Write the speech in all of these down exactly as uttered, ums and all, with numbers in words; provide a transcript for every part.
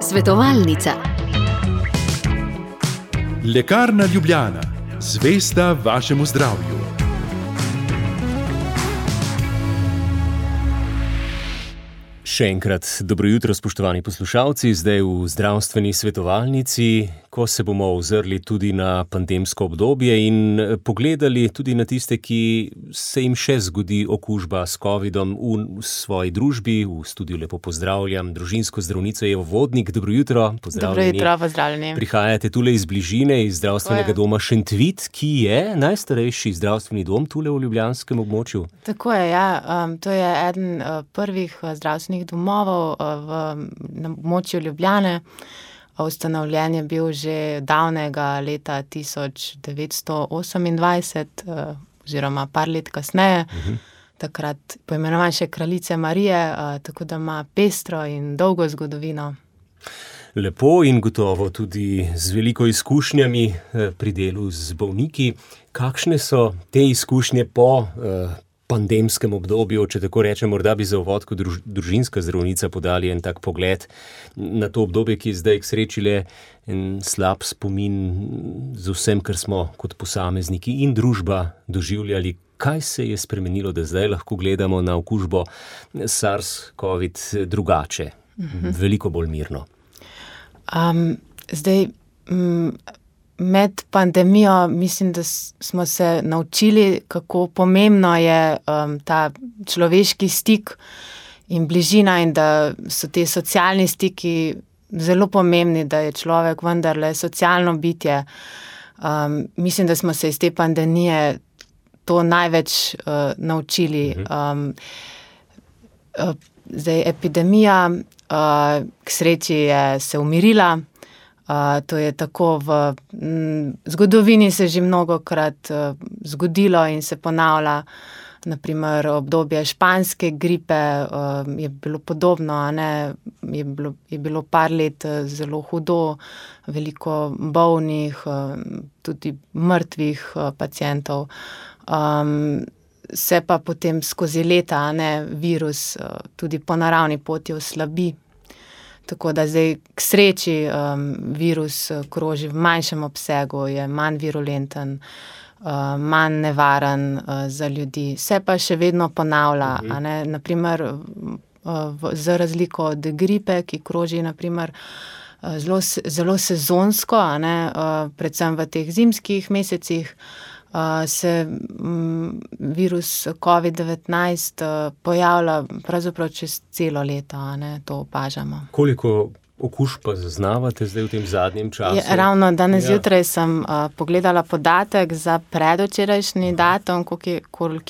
Svetovalnica. Lekarna Ljubljana, zvesta vašemu zdravju. Še enkrat dobro jutro, spoštovani poslušalci, zdaj v zdravstveni svetovalnici, ko se bomo ozrli tudi na pandemsko obdobje in pogledali tudi na tiste, ki se jim še zgodi okužba s covidom v svoji družbi. V studiu lepo pozdravljam družinsko zdravnico Evo Vodnik. Dobro jutro, pozdravljeni. Dobro jutro, pozdravljeni. Prihajate tule iz bližine, iz zdravstvenega doma Šentvid, ki je najstarejši zdravstveni dom tule v ljubljanskem območju. Tako je, ja. Um, to je eden uh, prvih uh, zdravstvenih domovov v, na območju Ljubljane. Ustanovljen je bil že davnega leta tisoč devetsto osemindvajset, oziroma par let kasneje, uh-huh. takrat poimenovan še Kraljice Marije, tako da ima pestro in dolgo zgodovino. Lepo in gotovo tudi z veliko izkušnjami pri delu z bolniki. Kakšne so te izkušnje po uh, pandemskem obdobju, če tako rečem, morda bi za uvod kot druž, družinska zdravnica podali en tak pogled na to obdobje, ki je zdaj k sreči le en slab spomin z vsem, kar smo kot posamezniki in družba doživljali. Kaj se je spremenilo, da zdaj lahko gledamo na okužbo SARS-COVID drugače, mhm. veliko bolj mirno? Um, zdaj... Mm, Med pandemijo mislim, da smo se naučili, kako pomembno je um, ta človeški stik in bližina in da so te socialni stiki zelo pomembni, da je človek vendarle socialno bitje. Um, mislim, da smo se iz te pandemije to največ uh, naučili. Um, uh, zdaj, epidemija uh, k sreči je se umirila. Uh, to je tako v m, zgodovini se že mnogokrat uh, zgodilo in se ponavlja. Naprimer, obdobje španske gripe uh, je bilo podobno, a ne? Je bilo, je bilo par let uh, zelo hudo, veliko bolnih, uh, tudi mrtvih uh, pacientov. Um, se pa potem skozi leta, a ne, virus uh, tudi po naravni poti oslabi. Tako da zdaj k sreči um, virus kroži v manjšem obsegu, je manj virulenten, uh, manj nevaren uh, za ljudi. Se pa še vedno ponavlja, uh-huh. a ne, naprimer uh, v, za razliko od gripe, ki kroži naprimer uh, zelo, zelo sezonsko, a ne, uh, predvsem v teh zimskih mesecih, Uh, se um, virus covid devetnajst uh, pojavlja pravzaprav čez celo leto, a ne, to opažamo. Koliko okužb pa zaznavate zdaj v tem zadnjem času? Je, ravno danes ja. jutraj sem uh, pogledala podatek za predvčerajšnji datum, koliko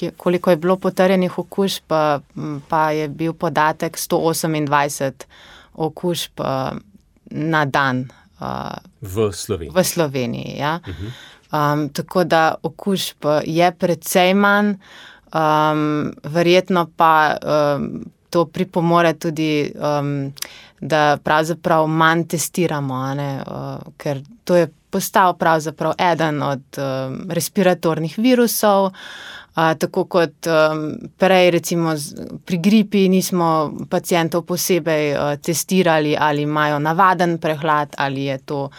je, koliko je bilo potrjenih okužb, pa, pa je bil podatek sto osemindvajset okužb uh, na dan. Uh, v Sloveniji. V Sloveniji, ja. Uh-huh. Um, tako da okužb je precej manj, um, verjetno pa um, to pripomore tudi, um, da pravzaprav manj testiramo, a ne, uh, ker to je postal pravzaprav eden od um, respiratornih virusov, uh, tako kot um, prej recimo z, pri gripi nismo pacientov posebej uh, testirali, ali imajo navaden prehlad, ali je to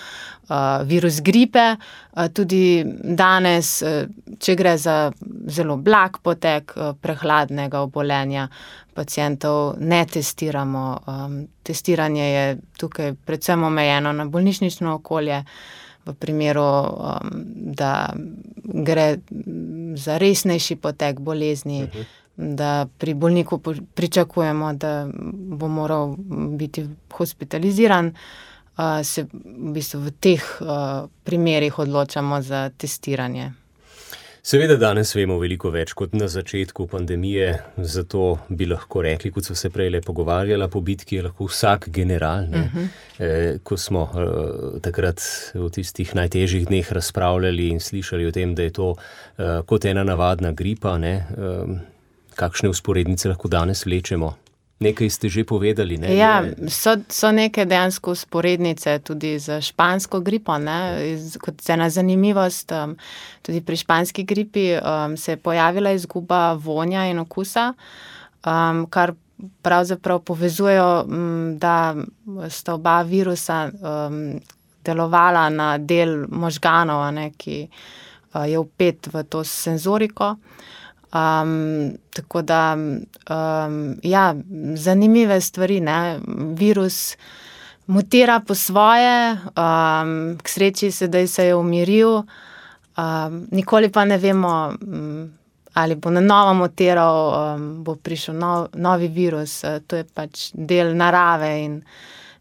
Uh, virus gripe. Uh, tudi danes, uh, če gre za zelo blag potek uh, prehladnega obolenja, pacientov ne testiramo. Um, testiranje je tukaj predvsem omejeno na bolnišnično okolje, v primeru, um, da gre za resnejši potek bolezni, uh-huh. da pri bolniku pričakujemo, da bo moral biti hospitaliziran. Uh, se v bistvu v teh uh, primerih odločamo za testiranje. Seveda danes vemo veliko več kot na začetku pandemije, zato bi lahko rekli, kot so se prej le pogovarjala, po bitki je lahko vsak general. Ne? Uh-huh. E, ko smo e, takrat v tistih najtežjih dneh razpravljali in slišali o tem, da je to e, kot ena navadna gripa, ne? E, kakšne vzporednice lahko danes vlečemo? Nekaj ste že povedali, ne? Ja, so, so neke dejansko vzporednice tudi z špansko gripo, ne? Kot ena zanimivost, um, tudi pri španski gripi um, se je pojavila izguba vonja in okusa, um, kar pravzaprav povezujejo, da sta oba virusa um, delovala na del možganov, ne, ki uh, je vpet v to senzoriko. Um, tako da, um, ja, zanimive stvari, ne, virus mutira po svoje, um, k sreči sedaj se je umiril, um, nikoli pa ne vemo, um, ali bo na novo mutiral, um, bo prišel nov, novi virus, uh, to je pač del narave in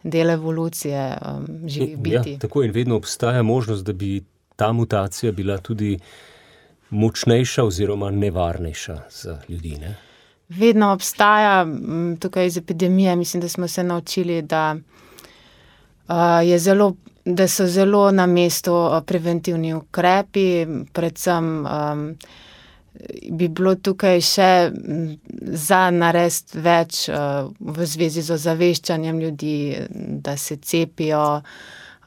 del evolucije um, živih biti. Ja, tako in vedno obstaja možnost, da bi ta mutacija bila tudi močnejša oziroma nevarnejša za ljudi, ne? Vedno obstaja, tukaj iz epidemije, mislim, da smo se naučili, da, uh, je zelo, da so zelo na mestu preventivni ukrepi, predvsem um, bi bilo tukaj še za narediti več uh, v zvezi z ozaveščanjem ljudi, da se cepijo,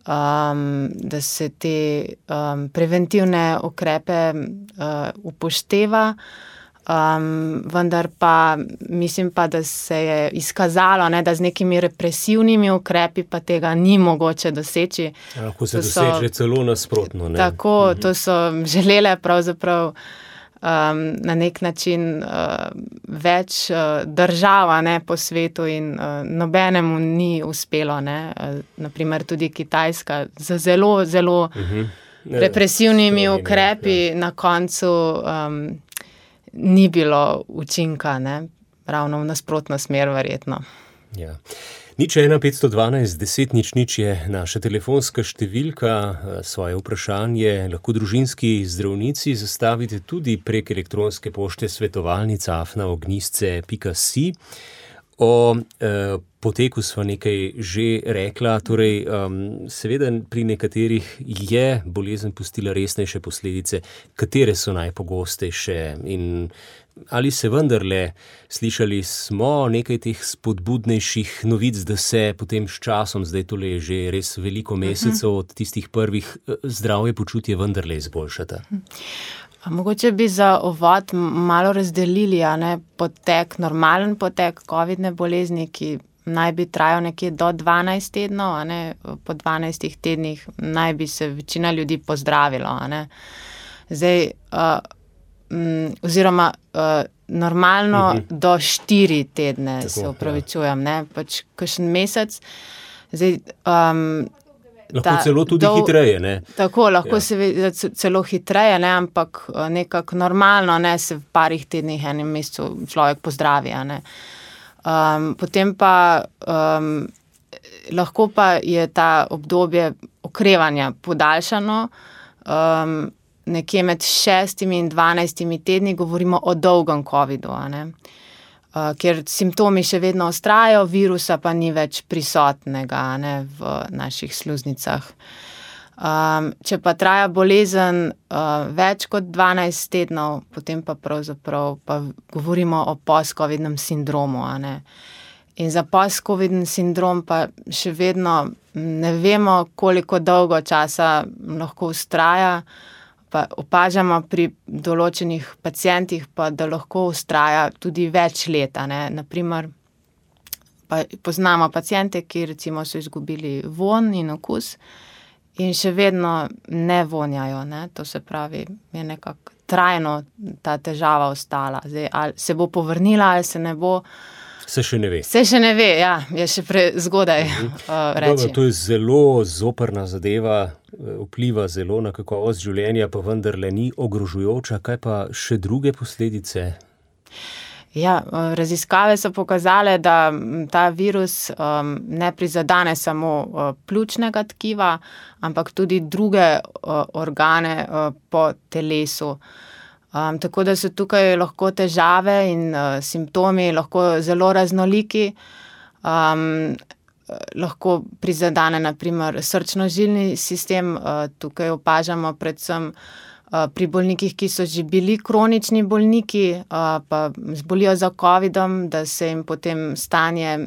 Um, da se te um, preventivne ukrepe uh, upošteva, um, vendar pa mislim pa, da se je izkazalo, ne, da z nekimi represivnimi ukrepi pa tega ni mogoče doseči. Lahko se doseže celo nasprotno. Ne? Tako, mhm. To so želele pravzaprav Um, na nek način uh, več uh, država, ne, po svetu in uh, nobenemu ni uspelo, ne, uh, naprimer tudi Kitajska z zelo, zelo uh-huh. represivnimi Sloveni, ukrepi ja. Na koncu um, ni bilo učinka, ne, ravno v nasprotno smer verjetno. Ja. Nič ena petsto dvanajst deset nič nič je naša telefonska številka, svoje vprašanje lahko družinski zdravnici zastavite tudi prek elektronske pošte svetovalnica afna ognjisce pika si. O eh, poteku sva nekaj že rekla, torej um, seveda pri nekaterih je bolezen pustila resnejše posledice, katere so najpogostejše in ali se vendarle, slišali smo nekaj teh spodbudnejših novic, da se potem s časom, zdaj tole je že res veliko mesecev uh-huh. od tistih prvih, zdravje počutje vendarle izboljšata? Mogoče bi za uvod malo razdelili, a ne, potek, normalen potek covidne bolezni, ki naj bi trajal nekje do dvanajst tednov, a ne, po dvanajstih tednih naj bi se večina ljudi pozdravilo, a ne. Zdaj, uh, m, oziroma uh, normalno uh-huh. do štiri tedne, tako, se opravičujem, ja. Ne, pač kakšen mesec. Zdaj, um, Lahko ta, celo tudi dol, hitreje, ne? Tako, lahko ja. se celo hitreje, ne, ampak nekako normalno, ne, se v parih tednih, enem mesecu človek pozdravi, a ne. Um, potem pa um, lahko pa je ta obdobje okrevanja podaljšano, um, nekje med šestimi in dvanajstimi tedni govorimo o dolgem covidu, a ne. Uh, ker simptomi še vedno ostrajajo, virusa pa ni več prisotnega, ne, v naših sluznicah. Um, če pa traja bolezen uh, več kot dvanajst tednov, potem pa pravzaprav pa govorimo o post-covidnem sindromu, a ne. In za post-covidni sindrom pa še vedno ne vemo, koliko dolgo časa lahko ustraja. Pa opažamo pri določenih pacientih, pa da lahko ustraja tudi več leta, ne. Naprimer, pa poznamo paciente, ki recimo so izgubili vonj in okus in še vedno ne vonjajo, ne. To se pravi, je nekako trajno ta težava ostala. Zdaj, ali se bo povrnila, ali se ne bo. Se še ne ve. Se še ne ve, ja, je še prezgodaj uh, reči. Dobro, to je zelo zoprna zadeva, vpliva zelo na kakovost življenja, pa vendarle ni ogrožujoča. Kaj pa še druge posledice? Ja, raziskave so pokazale, da ta virus um, ne prizadene samo uh, pljučnega tkiva, ampak tudi druge uh, organe uh, po telesu. Um, tako da so tukaj lahko težave in uh, simptomi lahko zelo raznoliki. Um, lahko prizadene naprimer srčno-žilni sistem, uh, tukaj opažamo predvsem uh, pri bolnikih, ki so že bili kronični bolniki, uh, pa zbolijo za covidom, da se jim potem stanje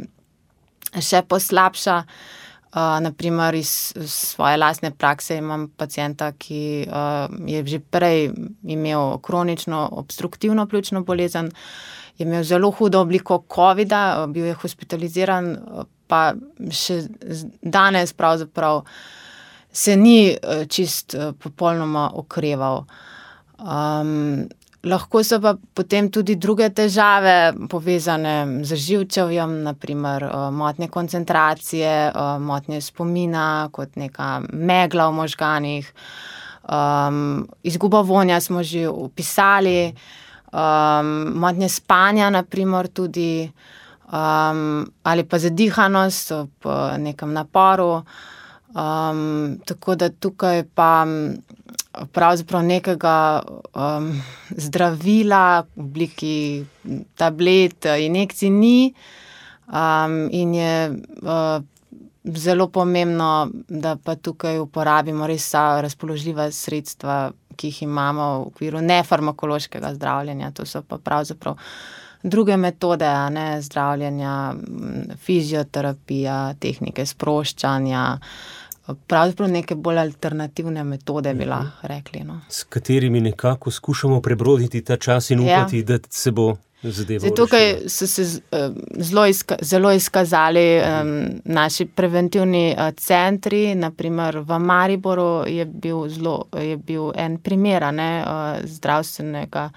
še poslabša. Uh, naprimer iz svoje lastne prakse imam pacienta, ki uh, je že prej imel kronično obstruktivno pljučno bolezen je imel zelo hudo obliko covida, bil je hospitaliziran, pa še danes pravzaprav se ni čist popolnoma okreval. Um, lahko so pa potem tudi druge težave povezane z živčevjem, naprimer motnje koncentracije, motnje spomina, kot neka megla v možganih, um, izguba vonja smo že opisali, um, motnje spanja, naprimer tudi, um, ali pa zadihanost ob nekem naporu. Um, tako da tukaj pa pravzaprav nekega um, zdravila v obliki tablet, injekcij ni, um, in je uh, zelo pomembno, da pa tukaj uporabimo res vsa razpoložljiva sredstva, ki jih imamo v okviru nefarmakološkega zdravljenja. To so pa pravzaprav druge metode, a ne, zdravljenja, fizioterapija, tehnike sproščanja, pravzaprav neke bolj alternativne metode bi lahko rekli. No. S katerimi nekako skušamo prebroditi ta čas in upati, ja. Da se bo zadeva rešila. Tukaj so se zelo, izka, zelo izkazali um, naši preventivni uh, centri, naprimer v Mariboru je bil, zelo, je bil en primer, ne, uh, zdravstvenega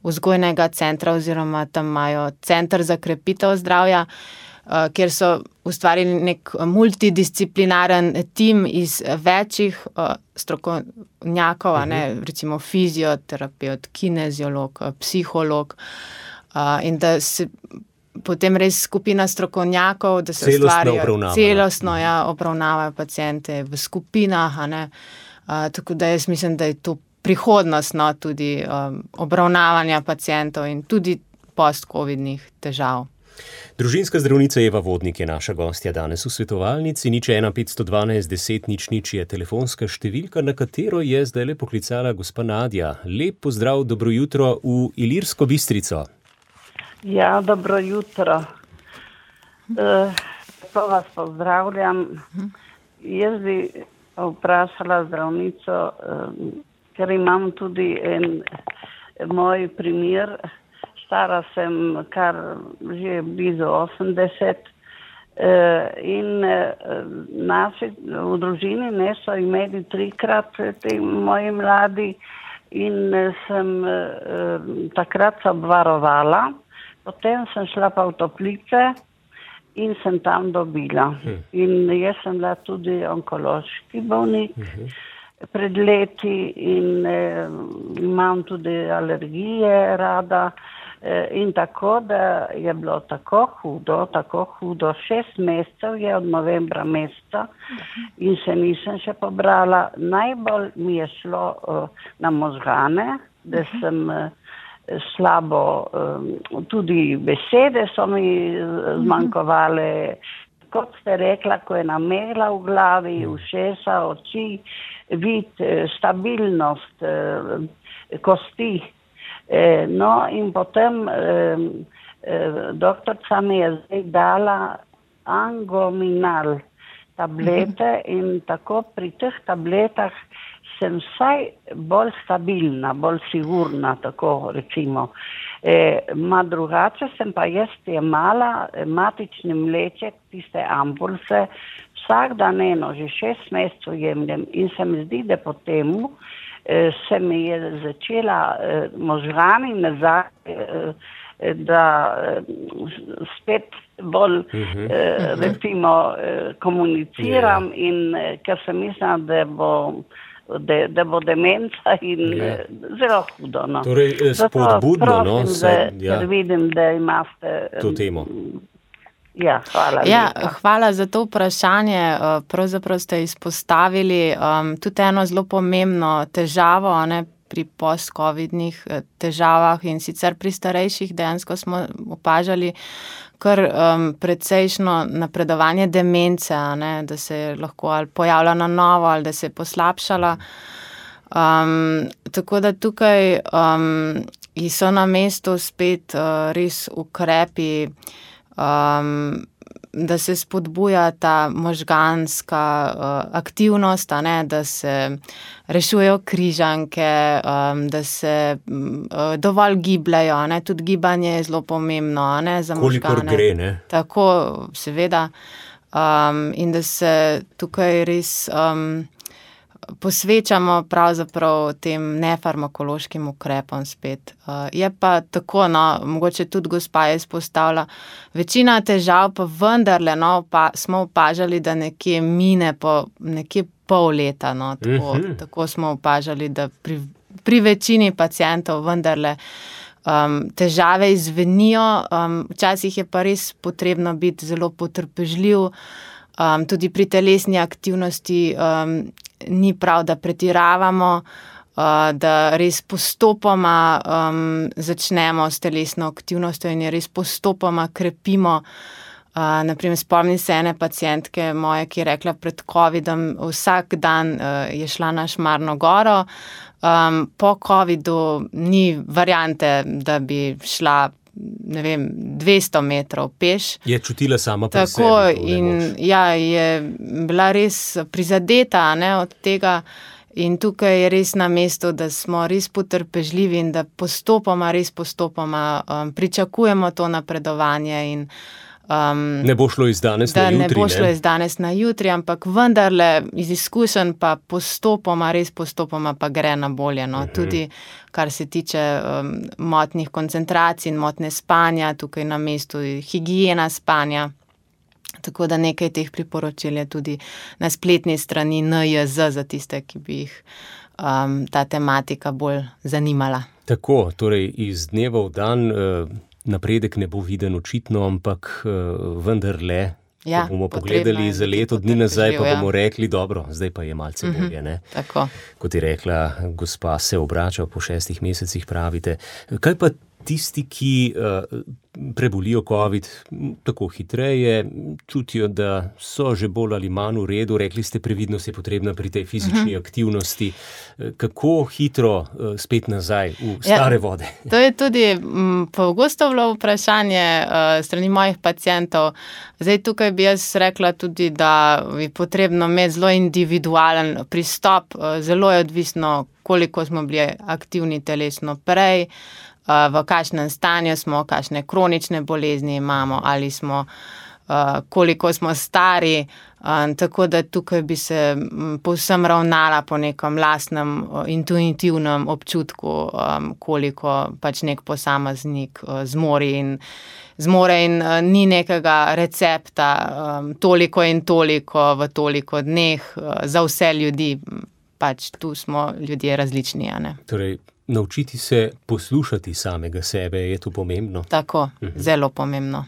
vzgojnega centra, oziroma tam imajo center za krepitev zdravja, uh, kjer so ustvarili nek multidisciplinaren tim iz večjih uh, strokovnjakov, uh-huh. ne, recimo fizioterapeut, kineziolog, psiholog, uh, in da se potem res skupina strokovnjakov, da se ustvarjajo celostno, ja, obravnavajo paciente v skupinah, a ne, uh, tako da jaz mislim, da je to prihodnost, no, tudi um, obravnavanja pacientov in tudi post-covidnih težav. Družinska zdravnica Eva Vodnik je naša gostja danes v svetovalnici. Nič ena petsto dvanajst deset nič nič je telefonska številka, na katero je zdaj le poklicala gospa Nadja. Lep pozdrav, dobro jutro v Ilirsko Bistrico. Ja, dobro jutro. Uh, to vas pozdravljam. Jaz bi vprašala zdravnico, uh, ker imam tudi en moj primer. Stara sem kar že blizu osemdeset in naši v družini ne so imeli trikrat ti moji mladi in sem takrat se obvarovala, potem sem šla pa v toplice in sem tam dobila. In jaz sem bila tudi onkološki bolnik pred leti in eh, imam tudi alergije rada. In tako, da je bilo tako hudo, tako hudo, šest mesecev je od novembra meseca in se nisem še pobrala. Najbolj mi je šlo uh, na možgane, da sem uh, slabo, uh, tudi besede so mi zmanjkovale, kot ste rekla, ko je namela v glavi, ušesa, oči, vid, stabilnost, uh, kosti. No in potem eh, eh, doktorca mi je zdaj dala Angominal tablete in tako pri teh tabletah sem vsaj bolj stabilna, bolj sigurna, tako recimo. E, ma drugače sem pa jaz jemala matični mleček, tiste ampulse, vsak dan eno, že šest mesecev jemljem in se mi zdi, da po temu se mi je začela eh, možgani nazaj, eh, da eh, spet bolj uh-huh. eh, recimo eh, komuniciram yeah. in eh, ker sem mislila, da bo, da, da bo demenca in yeah. eh, zelo hudo. No. Torej, spodbudno, no? Ker ja. vidim, da imate to temo. Ja, hvala. Ja, hvala za to vprašanje. Pravzaprav ste izpostavili um, tudi eno zelo pomembno težavo, ne, pri post-covidnih težavah in sicer pri starejših dejansko smo opažali kar um, precejšno napredovanje demence, ne, da se je lahko ali pojavila na novo ali da se je poslabšala. Um, tako da tukaj um, so na mestu spet uh, res ukrepi, Um, da se spodbuja ta možganska uh, aktivnost, a ne, da se rešujejo križanke, um, da se uh, dovolj gibljajo, a ne, tudi gibanje je zelo pomembno, a ne, za možgane. Kolikor gre, ne? Tako, seveda. Um, in da se tukaj res um, posvečamo pravzaprav tem nefarmakološkim ukrepom spet. Uh, je pa tako, no, mogoče tudi gospa je izpostavila, večina težav pa vendarle, no, pa smo opažali, da nekje mine po nekje pol leta, no, tako, uh-huh. tako smo opažali, da pri, pri večini pacientov vendarle um, težave izvenijo, um, včasih je pa res potrebno biti zelo potrpežljiv, um, tudi pri telesni aktivnosti um, ni prav, da pretiravamo, uh, da res postopoma um, začnemo s telesno aktivnostjo in je res postopoma krepimo. Uh, naprimer, spomnim se ene pacientke moje, ki je rekla pred covidom, vsak dan uh, je šla na Šmarno goro, um, po covidu ni variante, da bi šla ne vem, dvesto metrov peš. Je čutila sama pri sebi. Tako, in ja, je bila res prizadeta, ne, od tega in tukaj je res na mestu, da smo res potrpežljivi in da postopoma, res postopoma um, pričakujemo to napredovanje in Um, ne bo šlo iz danes na jutri. Ne bo šlo iz danes na jutri, ampak vendarle iz izkušenj pa postopoma, res postopoma pa gre na bolje. No? Uh-huh. Tudi kar se tiče um, motnih koncentracij in motne spanja, tukaj na mestu higiena spanja. Tako da nekaj teh priporočil je tudi na spletni strani N J Z za tiste, ki bi jih um, ta tematika bolj zanimala. Tako, torej iz dneva v dan uh, napredek ne bo viden očitno, ampak uh, vendarle, ja, ko bomo pogledali za leto dni nazaj, pa bomo rekli, dobro, zdaj pa je malce uh-huh. bolje. Ne? Tako. Kot je rekla gospa, se obrača po šestih mesecih, pravite. Kaj pa tisti, ki uh, prebolijo COVID tako hitreje, čutijo, da so že bolj ali manj v redu, rekli ste, previdnost je potrebna pri tej fizični uh-huh. aktivnosti. Kako hitro uh, spet nazaj v stare ja, vode? To je tudi m, pogosto bilo vprašanje uh, strani mojih pacientov. Zdaj tukaj bi jaz rekla tudi, da je potrebno imeti zelo individualen pristop. Uh, zelo je odvisno, koliko smo bili aktivni telesno prej, v kakšnem stanju smo, kakšne kronične bolezni imamo, ali smo, koliko smo stari, tako da tukaj bi se povsem ravnala po nekem lastnem intuitivnem občutku, koliko pač nek posameznik zmore in, zmore in ni nekega recepta, toliko in toliko v toliko dneh za vse ljudi, pač tu smo ljudje različni, a ne. Torej, naučiti se poslušati samega sebe, je to pomembno? Tako, uh-huh. zelo pomembno.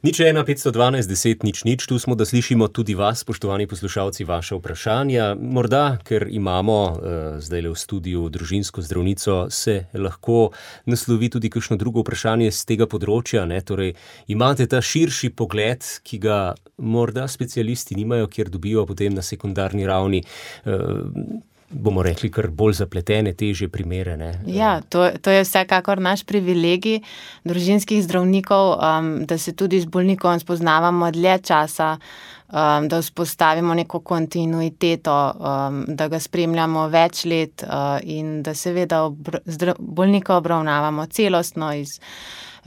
Nič ena, petsto dvanajst, deset, nič, nič, tu smo, da slišimo tudi vas, spoštovani poslušalci, vaše vprašanja. Morda, ker imamo uh, zdaj le v studiu družinsko zdravnico, se lahko naslovi tudi kakšno drugo vprašanje z tega področja, ne? Torej, imate ta širši pogled, ki ga morda specialisti nimajo, kjer dobijo potem na sekundarni ravni uh, bomo rekli, kar bolj zapletene, težje primere. Ne? Ja, to, to je vsekakor naš privilegij družinskih zdravnikov, um, da se tudi z bolnikom spoznavamo dlje časa, um, da vzpostavimo neko kontinuiteto, um, da ga spremljamo več let uh, in da seveda obr- zdra- bolnika obravnavamo celostno iz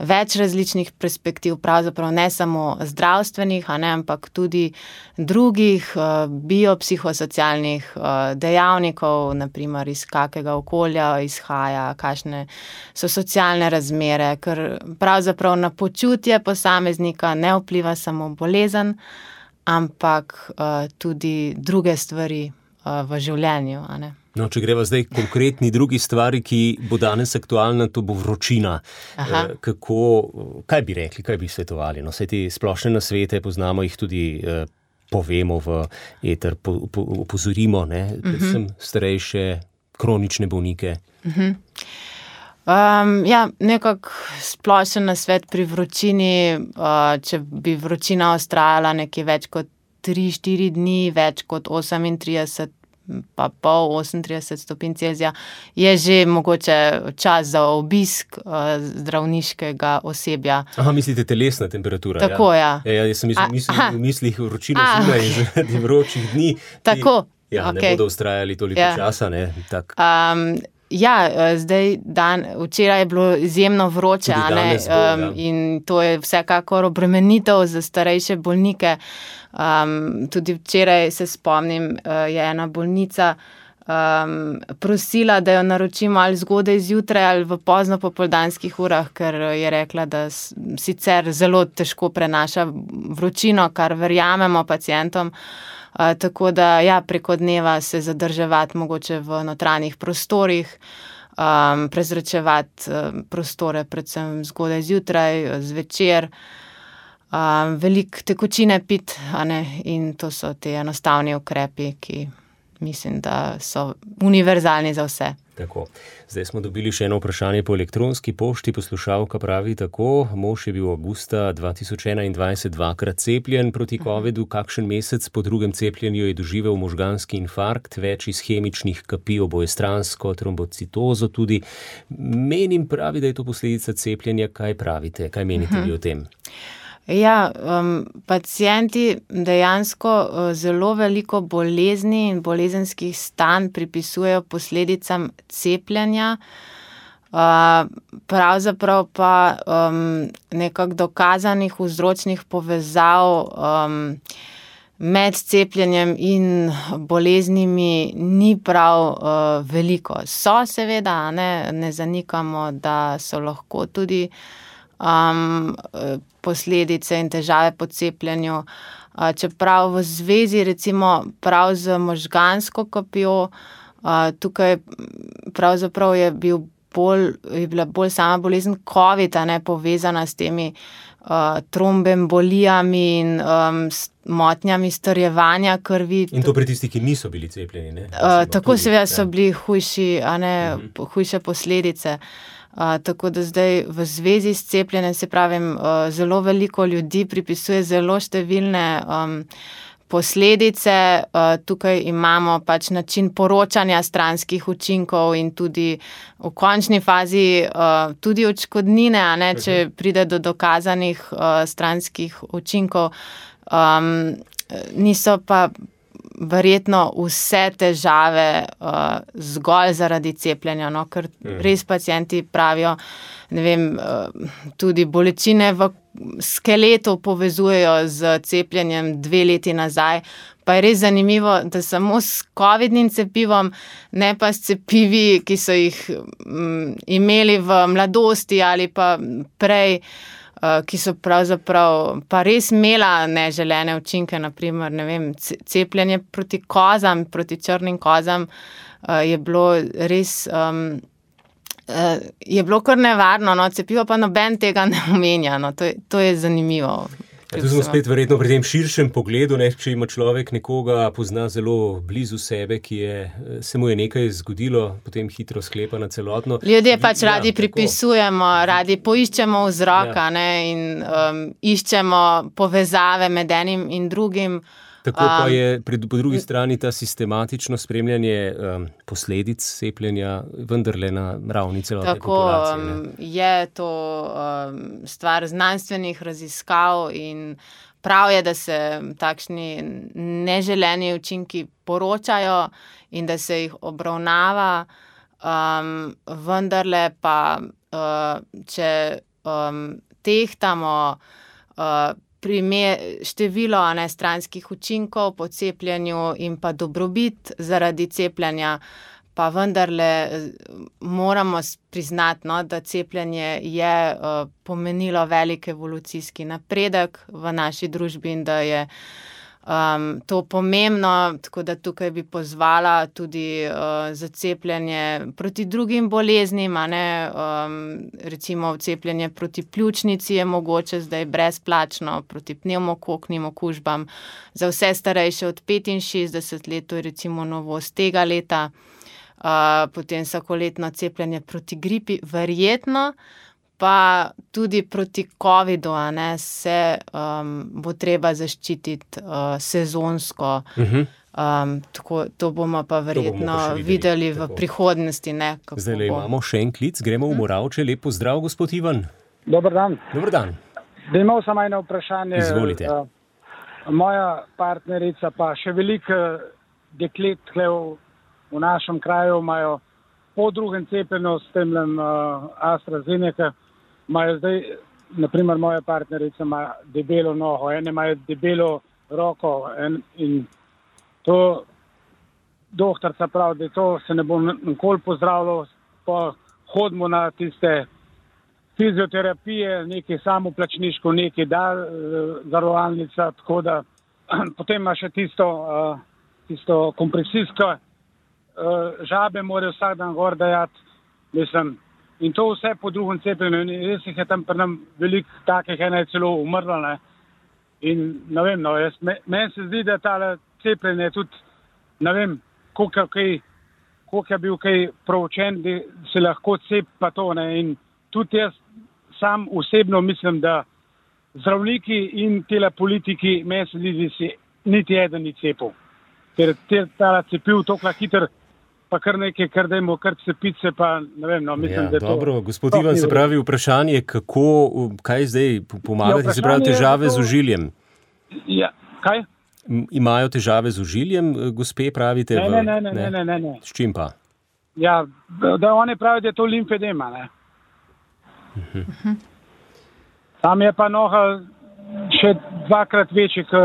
več različnih perspektiv, pravzaprav ne samo zdravstvenih, a ne, ampak tudi drugih uh, biopsihosocialnih uh, dejavnikov, naprimer iz kakega okolja izhaja, kakšne so socialne razmere, ker pravzaprav na počutje posameznika ne vpliva samo bolezen, ampak uh, tudi druge stvari uh, v življenju, a ne. No, če greva zdaj konkretni drugi stvari, ki bo danes aktualna, to bo vročina. Aha. Kako, kaj bi rekli, kaj bi svetovali? No, vse te splošne nasvete, poznamo jih tudi, eh, povemo v eter, po, po, opozorimo, ne, predvsem uh-huh. starejše, kronične bolnike. Uh-huh. Um, ja, nekak splošen nasvet pri vročini, uh, če bi vročina ostrajala nekje več kot tri štiri dni, več kot osemintrideset pa pol, osemintrideset stopinj Celzija, je že mogoče čas za obisk uh, zdravniškega osebja. Aha, mislite telesna temperatura? Tako, ja. Ja, ja jaz sem mislil, mislil, v mislih vročina zima in zaradi vročih dni. Tako, ti, ja, okay. Ne bodo ustrajali toliko ja. časa, ne? Tak. Um, Ja, zdaj dan, včeraj je bilo izjemno vroče, a ne, bo, ja. In to je vsekakor obremenitev za starejše bolnike. Um, tudi včeraj se spomnim, je ena bolnica um, prosila, da jo naročimo ali zgodaj zjutraj ali v pozno popoldanskih urah, ker je rekla, da sicer zelo težko prenaša vročino, kar verjamemo pacientom. Uh, tako da ja, preko dneva se zadrževati mogoče v notranjih prostorih, um, prezračevati um, prostore predvsem zgodaj zjutraj, zvečer, um, veliko tekočine pit, a ne, in to so te enostavni ukrepi, ki mislim, da so univerzalni za vse. Tako. Zdaj smo dobili še eno vprašanje po elektronski pošti. Poslušalka pravi tako: mož je bil avgusta dva tisoč enaindvajset dvakrat cepljen proti covidu. Kakšen mesec po drugem cepljenju je doživel možganski infarkt, več ishemičnih kapi, obojestransko trombocitozo tudi. Menim, pravi, da je to posledica cepljenja. Kaj pravite? Kaj menite vi o tem? Ja, um, pacienti dejansko uh, zelo veliko bolezni in bolezenskih stanj pripisujejo posledicam cepljenja. Uh, pravzaprav pa um, nekako dokazanih vzročnih povezav um, med cepljenjem in boleznimi ni prav uh, veliko. So seveda, ne, ne zanikamo, da so lahko tudi Um, posledice in težave po cepljenju. Uh, čeprav v zvezi recimo prav z možgansko kapjo, uh, tukaj pravzaprav je, bil bolj, je bila bolj sama bolezen COVID, a ne povezana s temi uh, trombembolijami in um, motnjami strjevanja krvi. In to pri tistih, ki niso bili cepljeni, ne? Uh, tako seveda so bili hujši, a ne, uh-huh. hujše posledice. Uh, tako da zdaj v zvezi s cepljenjem, se pravim, uh, zelo veliko ljudi pripisuje zelo številne um, posledice. Uh, tukaj imamo pač način poročanja stranskih učinkov in tudi v končni fazi uh, tudi odškodnine, a ne, če pride do dokazanih uh, stranskih učinkov. Um, niso pa verjetno vse težave uh, zgolj zaradi cepljenja, no, ker res pacienti pravijo, ne vem, uh, tudi bolečine v skeletu povezujejo z cepljenjem dve leti nazaj, pa je res zanimivo, da samo s covidnim cepivom, ne pa s cepivi, ki so jih um, imeli v mladosti ali pa prej, ki so pravzaprav pa res imela neželene učinke, naprimer, ne vem, cepljenje proti kozam, proti črnim kozam, je bilo res, um, je bilo kar nevarno, no, cepivo pa noben tega ne omenja, no, to je, to je zanimivo. Ja, tu smo spet verjetno pri tem širšem pogledu, ne, če ima človek nekoga, pozna zelo blizu sebe, ki je, se mu je nekaj zgodilo, potem hitro sklepa na celotno. Ljudje pač ja, radi tako pripisujemo, radi poiščemo vzroka, ja. ne, in um, iščemo povezave med enim in drugim. Tako pa je pred, po drugi strani ta sistematično spremljanje um, posledic cepljenja vendarle na ravni celotne tako, populacije. Ne? Tako je to um, stvar znanstvenih raziskav in prav je, da se takšni neželeni učinki poročajo in da se jih obravnava, um, vendarle pa, uh, če um, tehtamo uh, primer, število ne, stranskih učinkov po cepljenju in pa dobrobit zaradi cepljenja, pa vendarle moramo priznati, no, da cepljenje je uh, pomenilo velik evolucijski napredek v naši družbi in da je um, to pomembno, tako da tukaj bi pozvala tudi uh, za cepljenje proti drugim boleznim, a ne, um, recimo cepljenje proti pljučnici je mogoče zdaj brezplačno, proti pnevmokoknim okužbam, za vse starejše od petinšestdeset let, to je recimo novost tega leta, uh, potem vsakoletno cepljenje proti gripi, verjetno pa tudi proti covidu, a ne, se um, bo treba zaščititi uh, sezonsko. Uh-huh. Um, tako, to bomo pa verjetno bomo pa videli v tako. prihodnosti. Ne, Zdaj le imamo še en klic, gremo v Moravče. Lep pozdrav, gospod Ivan. Dobar dan. Dobar dan. Da imel sem eno vprašanje. Izvolite. Uh, moja partnerica pa še veliko deklet tle v, v našem kraju imajo po drugem cepljenju s temlem uh, AstraZeneca, imajo zdaj, naprimer moja partnerica ima debelo nogo, ene imajo debelo roko en, in to doktorca pravi, da to se ne bo nikoli pozdravilo, pa hodimo na tiste fizioterapije, nekaj samoplačniško, nekaj da, zavarovalnica, tako da potem ima še tisto, uh, tisto kompresijsko uh, žabe, morajo vsak dan gor dajati, mislim, in to vse po drugem cepljenju, in res jih je tam pri nam veliko takih, ena je celo umrla, ne, in ne vem, no, jaz, meni se zdi, da tale cepljenje tudi, ne vem, koliko, kaj, koliko je bil kaj proučen, da se lahko cep pa to, ne, in tudi jaz sam osebno mislim, da zdravniki in tele politiki, meni se zdi, da si niti eden ni cepil. Ker te tala cepil tokla hiter, pa kar nekaj, kar dajmo, kar cepice, pa ne vem, no, mislim, ja, da je to... Dobro, gospod Ivan, se pravi vprašanje, kako, kaj zdaj pomagati, ja, se pravi težave to... z ožiljem? Ja, kaj? Imajo težave z ožiljem, gospe, pravite? Ne, v... ne, ne, ne, ne, ne, ne. S čim pa? Ja, da oni pravijo, da je to limfedema, ne. Uh-huh. Tam je pa noga še dvakrat večji, k,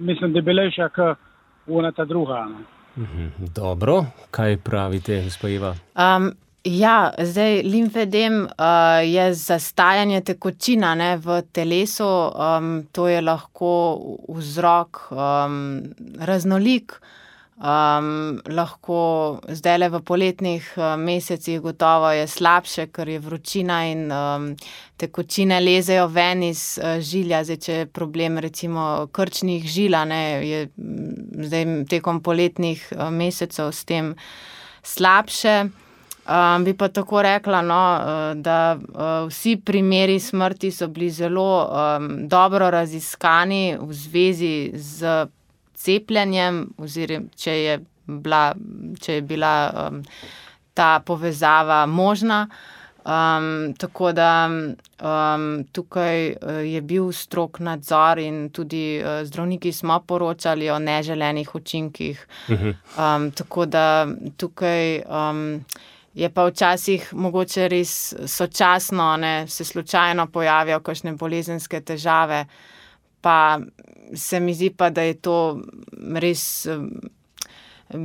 mislim, debelejša, kot ona ta druga. Ne. Uh-huh. Dobro, kaj pravite, gospa Eva? Um, ja, zdaj limfedem uh, je zastajanje tekočina, ne, v telesu, um, to je lahko vzrok um, raznolik. Um, lahko zdajle v poletnih uh, mesecih gotovo je slabše, ker je vročina in um, tekočine lezejo ven iz uh, žilja. Zdaj, če je problem recimo krčnih žila, ne, je zdaj tekom poletnih uh, mesecev s tem slabše. Um, bi pa tako rekla, no, uh, da uh, vsi primeri smrti so bili zelo um, dobro raziskani v zvezi z cepljenjem, oziroma če je bila, če je bila um, ta povezava možna. Um, tako da um, tukaj je bil strog nadzor in tudi uh, zdravniki smo poročali o neželenih učinkih. Um, tako da tukaj um, je pa včasih mogoče res sočasno, ne, se slučajno pojavijo kakšne bolezenske težave, pa se mi zdi pa, da je to res um,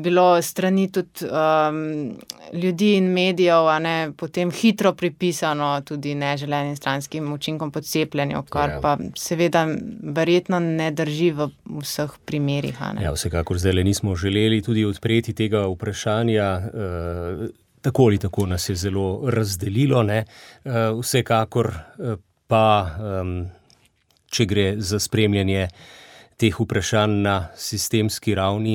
bilo strani tudi um, ljudi in medijev, a ne, potem hitro pripisano tudi neželenim stranskim učinkom po cepljenju, kar ja. Pa seveda verjetno ne drži v vseh primerih. A ne. Ja, vsekakor zdaj nismo želeli tudi odpreti tega vprašanja, uh, tako ali tako nas je zelo razdelilo, ne, uh, vsekakor uh, pa... Um, če gre za spremljanje teh vprašanj na sistemski ravni,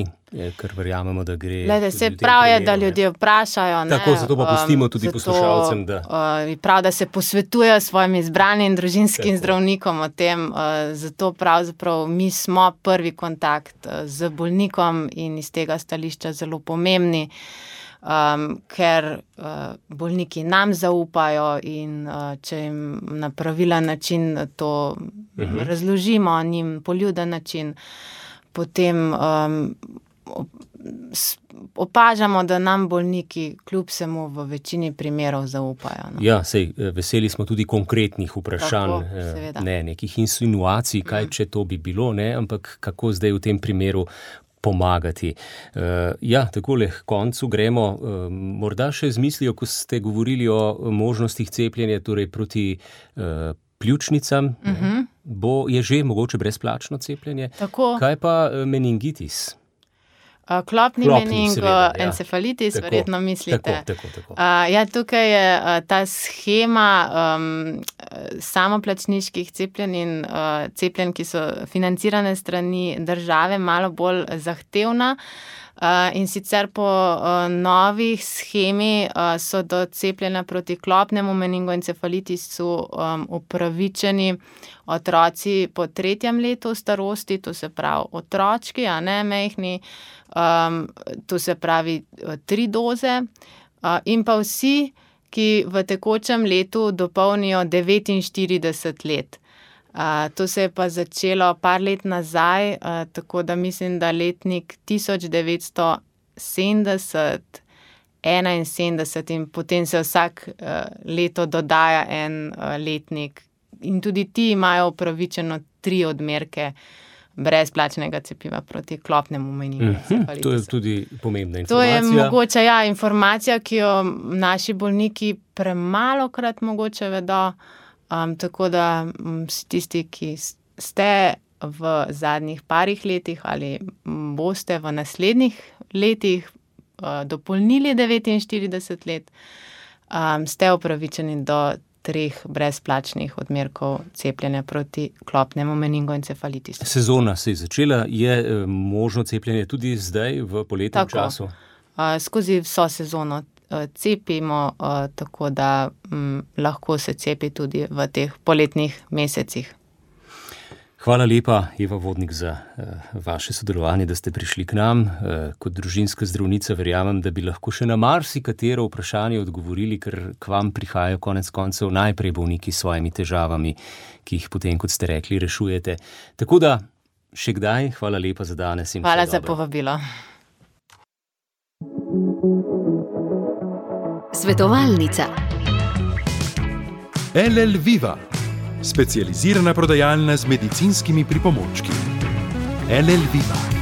ker verjamemo, da gre... Glede, se prav je, da ljudje vprašajo. Ne? Tako, zato pa pustimo tudi um, poslušalcem, da... Uh, prav, da se posvetujejo s svojim izbranim družinskim tako. Zdravnikom o tem, uh, zato pravzaprav mi smo prvi kontakt uh, z bolnikom in iz tega stališča zelo pomembni. Um, ker uh, bolniki nam zaupajo in uh, če jim na pravilen način to uh-huh. razložimo, njim poljuden način, potem um, opažamo, da nam bolniki kljub vsemu v večini primerov zaupajo. No. Ja, sej, veseli smo tudi konkretnih vprašanj, tako, ne nekih insinuacij, kaj mm. če to bi bilo, ne, ampak kako zdaj v tem primeru pomagati. Uh, ja, takole k koncu gremo. Uh, morda še z mislijo, ko ste govorili o možnostih cepljenja, torej proti uh, pljučnicam, uh-huh. bo je že mogoče brezplačno cepljenje. Tako. Kaj pa meningitis? Uh, klopni, klopni meningoencefalitis, ja. Verjetno mislite. Tako, tako, tako. Uh, ja, tukaj je uh, ta shema um, samoplačniških cepljenj in uh, cepljenj, ki so financirane strani države, malo bolj zahtevna. Uh, in sicer po uh, novih schemi uh, so do cepljenja proti klopnemu meningoencefalitisu um, upravičeni otroci po tretjem letu starosti, to se pravi otročki, a ne mehni, um, to se pravi tri doze, uh, in pa vsi, ki v tekočem letu dopolnijo devetinštirideset let. Uh, to se je pa začelo par let nazaj, uh, tako da mislim, da letnik tisoč devetsto sedemdeset, enainsedemdeset in potem se vsak uh, leto dodaja en uh, letnik. In tudi ti imajo upravičeno tri odmerke brezplačnega cepiva proti klopnemu meningoencefalitisu. Mm-hmm, to je tudi pomembna informacija. To je mogoče, ja, informacija, ki jo naši bolniki premalokrat mogoče vedo. Um, tako da um, tisti, ki ste v zadnjih parih letih ali boste v naslednjih letih uh, dopolnili devetinštirideset let, um, ste upravičeni do treh brezplačnih odmerkov cepljenja proti klopnemu meningoencefalitisu. Sezona se je začela, je možno cepljenje tudi zdaj v poletnem tako, času? Uh, skozi vso sezono cepimo, tako da m, lahko se cepi tudi v teh poletnih mesecih. Hvala lepa, Eva Vodnik, za uh, vaše sodelovanje, da ste prišli k nam. Uh, kot družinska zdravnica verjamem, da bi lahko še na marsikatero vprašanje odgovorili, ker k vam prihajajo konec koncev najprej bolniki s svojimi težavami, ki jih potem, kot ste rekli, rešujete. Tako da, še kdaj, hvala lepa za danes. In hvala za povabilo. Svetovalnica. L L Viva, specializirana prodajalna z medicinskimi pripomočki. L L Viva.